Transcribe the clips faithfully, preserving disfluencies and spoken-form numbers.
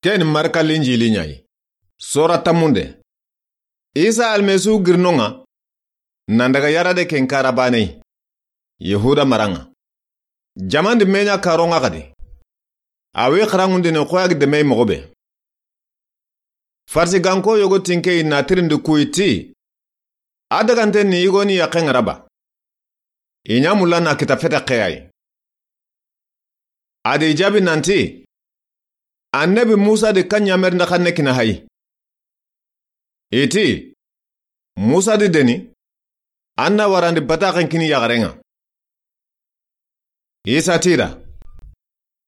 Ken ni Marka Linjili ɲa yi. Sora tanmunde. Isa Almasihu girinonŋa, nan daga yarade ken kara baneyi, Yahuda maranŋa. Jaman di me ɲa karonŋa xadi. A wi xaranŋundini xoyagi demeyi moxo be. Farisiganko yogo tinkeyi na tirindi kuyi ti, a dagante ni yigo ni yaqqen ŋa ra ba? I ɲa mulla na kita fete xeyayi. A di jaabi nanti, Annabi Musa di kan ɲamerinde xanne kina hayi. I ti, Musa di deni, an na warandi bataxen kini yaxaren ŋa. Isa ti da,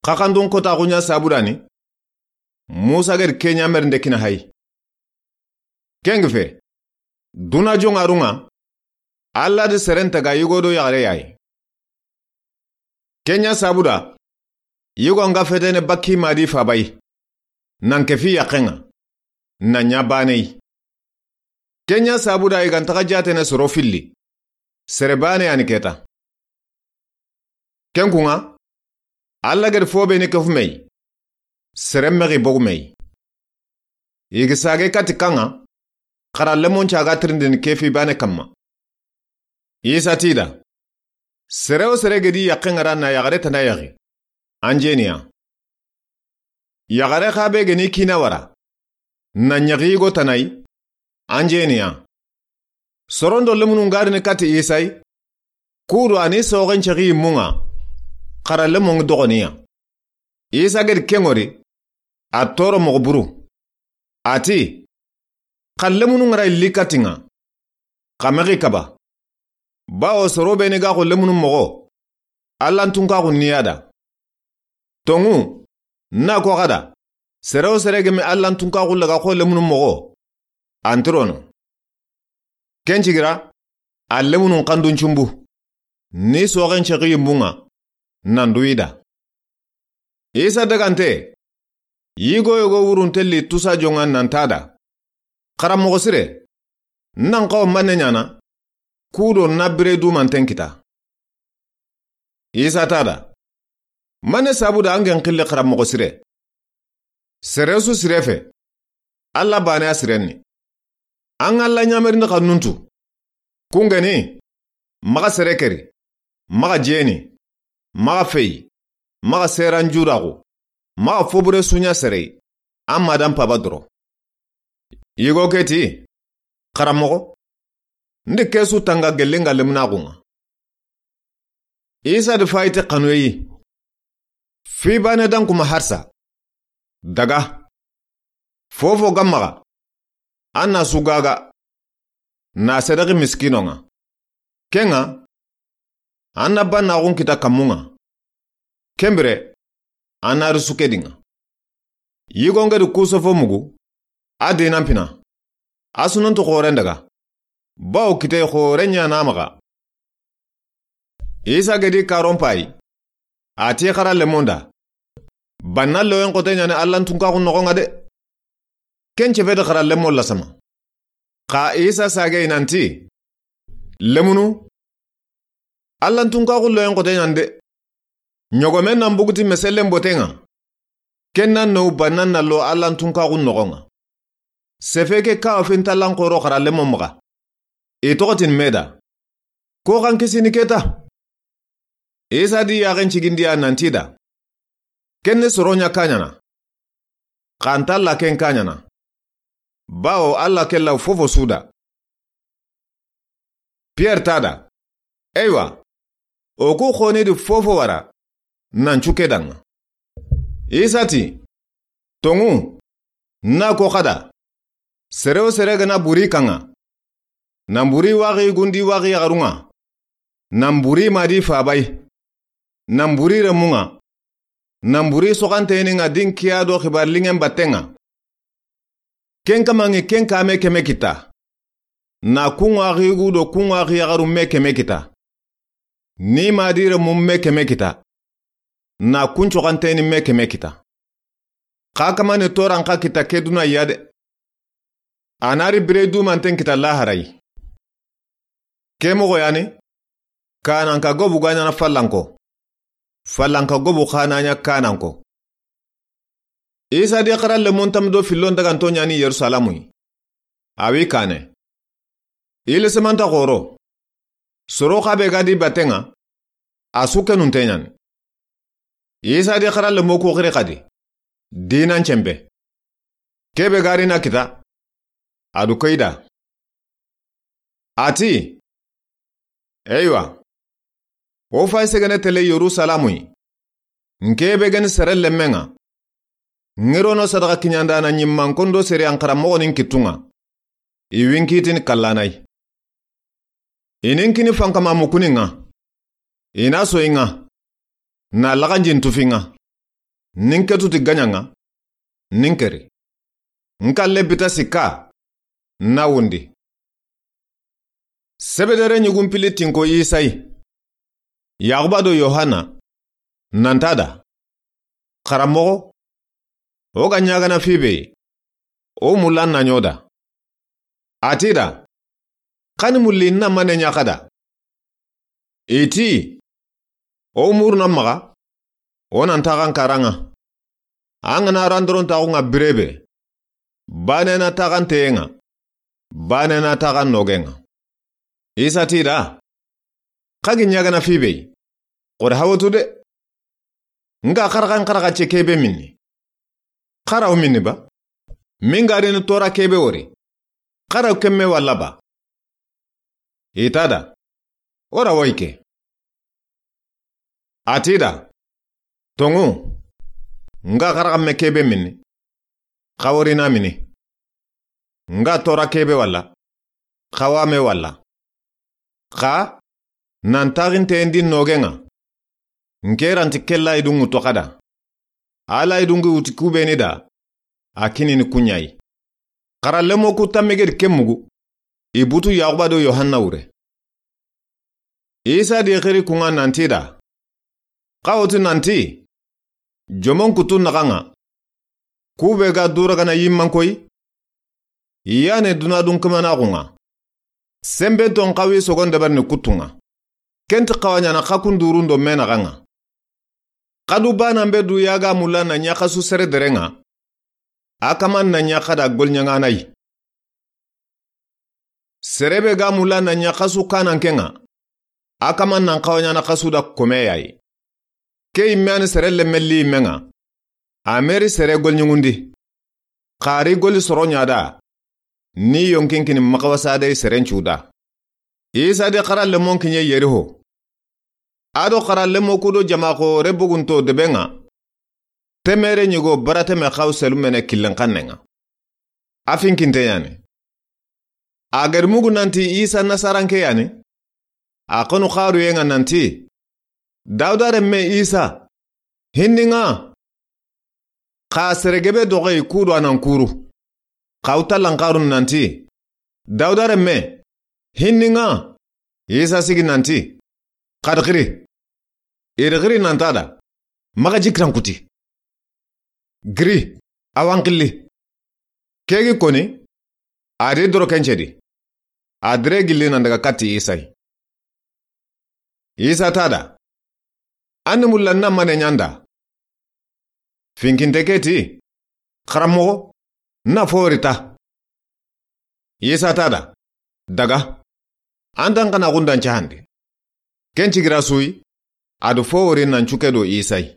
xaxandun kotaxu ɲa sabudani, Musa gedi ke ɲamerinde kina hayi. Ken gi fe, duna joŋarun ŋa, Alla di seren taga yigo do yaxare yayi. Ken ɲa sabuda, yigo ŋa fetene bakki ma di fabayi, nan kefi yaqqen ŋa, na ɲa baneyi. Ken ɲa sabuda i ga ntaxa jatene soro filli, sere bane yani keta. Ken kun ŋa, Alla gedi fo be ni kefu meyi, sere mexi bogu meyi. I gi sage kati kan ŋa, xara lemon caga tirindini kefi bane kamma. Isa ti da, sere wo sere gedi yaqqen ŋa ra na yaxare tana yaxi, an jeniya. Yaxare xa be geni kina wara, na ɲaxi yigo tanayi, an jeniya. Sorondo lemunu ngarini kati Isayi, kudo ani soxen cexi yimmun ŋa, xara lemon ŋi doxoniya. Isa gedi ken ŋori, a toro moxo buru. A ti, xa lemunu ŋa ra illi katin ŋa, xa mexi kaba. Bawo soro be ni ga xo lemunu moxo, Allan tunkaxu ni ya da. Tonŋu, na ko xada, sere wo sere gemi Allan tunkaxu laga xo lemunu moxo, antirono. Ken cigira, a lemunun xandun cumbu, ni soxen cexi yimmun ŋa, nan duyi da. Isa dagante, yigo yogo wurun telli tusa joŋa nan ta da, Xaranmoxo sire, nan xawa manne ɲana, kudo na bire dumanten kita. Isa ta da, manne sabuda an gen xilli xaranmoxo sire? Sere su sire fe, Alla bane a sirenni. An Alla ɲamerindi xannuntu. Kungeni, maxa sere keri, maxa jeni, maxa feyi, maxa seran judaxu, maxa fobure suɲa serei, an madan paba doro. Yigo ke ti, Xaranmoxo, ndi kesu tanga gellinga lemunaxun ŋa. Isa di fayiti xanuyeyi. Fi bane dan kuma harsa. Daga. Fofo gammaxa. An na su gaga. Na sedexi miskinon ŋa. Ken ŋa, an na bannaxun kita kammun ŋa. Kenbire, an na ri suke dinŋa. Yigo ngedi kusofo mugu, a dinan pina. A sununtu xoren daga. Bawo kitey xore ɲana maxa. Isa gedi karon payi. A ti xara lemonda. Banna loyen xote ɲani Allan tunkaxun noxon ŋa de. Ken cefeti xara lemon lasama. Xa Isa sagey nanti, lemunu, Allan tunkaxu loyen xote ɲan de. Ɲogomen nan buguti mesellen boten ŋa. Ken nan no bannan na lo Allan tunkaxun noxon ŋa. Sefe ke kawa fintallan xoro xara lemon maxa. I toxotin meda. Ko xan kisini keta. Isa di yaxen cigindiya nanti da. Ken ni soro ɲa kaɲana. Xanta Alla ken kaɲana. Bawo Alla ke law fofo suda. Pierre ta da. Eywa. O ku xoni di fofo wara. Nan cuke danŋa. Isa ti, tonŋu, na ko xada. Sere wo sere gana buri kanŋa. Nan buri waxi gundi waxi yaxarun ŋa. Nan buri madi fabay. Nan buri remun ŋa. Nan buri soxanteyini ŋa din kiya do xibar lingen batten ŋa. Ken kamanŋi ken kame keme kita. Na kun ŋa xigu do kun ŋa xiyaxaru me keme kita. Ni madi remun me keme kita. Na kun soxanteyini me keme kita. Xa kamani toran xa kita ke duna ya de. A na ri bire dumanten kita laharay. Ke moxo yani, kananka gobu ga ɲana fallanko. Fallanka gobu xa na ɲa kananko. Isa di xara lemon tam do fillon daganto ɲani Yerusalamu yi. A wi kane. Ile semanta xoro. Soro xa be ga di batenŋa. A su kenunte ɲani. Isa di xara lemo ku xiri xadi. Dinan cembe. Kebe gari na kita. A du koyda. A ti, eywa. O fay segene tele Yerusalamu yi. Nke be geni sere lemmenŋa. Ŋirono sadaxa kiɲandana ɲimman kondo sere an xara moxonin kittunŋa. I winkitini kallanay. I nin kini fankama mukuninŋa. I na soyinŋa. Na laxanjin tufinŋa. Nin ketuti gaɲanŋa. Nin keri. Nkalle bita sikka. Na wundi. Sebedere ɲugun pili tinko Isa yi. Yaxuba do Yohana. Nanta da. Xaranmoxo. O ga ɲagana fi be. O mulla na ɲoda. A ti da. Xani mulli na mane ɲaxada. I ti. O muruna maxa. O nan taxan karanŋa. An ga na randoron taxunŋa birebe. Bane na taxan teyenŋa. Bane na taxan nogenŋa. Isa ti da. Xa gi ɲagana fi be. Xore hawatu de. Nga xaraxan xaraxa ce kebe minni. Xaraw minni ba. Min ga rini tora kebe wori. Xaraw kemme walla ba. Ita da. Ora wayke. A ti da. Tongu. Nga xaraxamme kebe minni. Xa wori na mini. Nga tora kebe walla. Xa wame walla. Xa. Nan taxinte ndi nogenŋa. Nke ranti kella idunŋu toxada. Ala idungi wuti kubeni da. A kinini kuɲayi. Xara lemo ku tammegedi ke mugu. I butu Yaxuba do Yohanna wure. Isa di xiri kunŋa nanti da. Xa woti nanti. Jomon kutu naxanŋa. Kube ga duragana yimman koyi. Yane dunadun kamanaxunŋa. Sembe ton xawi sogon dabarni kuttunŋa. Kenti xawaɲana xa kun durun do menaxanŋa. Xadu banan be du yaga mulla na ɲaxasu sere derenŋa. A kaman na ɲaxada golɲaŋanayi. Serebe ga mulla na ɲaxasu kanankenŋa. A kaman nan xawaɲana xasu da komeyayi. Ke yimme ani sere lemmelli yimmenŋa. A meri sere golɲuŋundi. Xari goli soro ɲada. Ni yonkinkini maxawasadey seren cuda. Isa di xara lemon kiɲe Yeriho. A do xara lemo kudo jamaxo rebugunto debenŋa. Temere ɲigo barateme xaw selumene killen xannenŋa. A finkinte yani. A gedi mugu nanti Isa Nasaranke yani. A xonu xaruyenŋa nanti. Dawuda remme Isa. Hinninŋa. Xa sere gebe doxoyi kudo anan kuru. Xaw tallan xarun nanti. Dawuda remme. Hinninŋa. Isa sigi nanti. Xadi xiri. Idi xiri nanta da. Maxa jikiran kuti. Giri. Awan xilli. Kegi koni. Adi doro kencedi. A dire gilli nan daga katti Isa yi. Isa ta da. An ni mulla na mane ɲanda. Finkinte ke ti. Xaranmoxo. Na fori ta. Isa ta da. Daga. An tan xana xundan cahandi. Ken cigira suyi. A do fo wori nan cuke do Isa yi.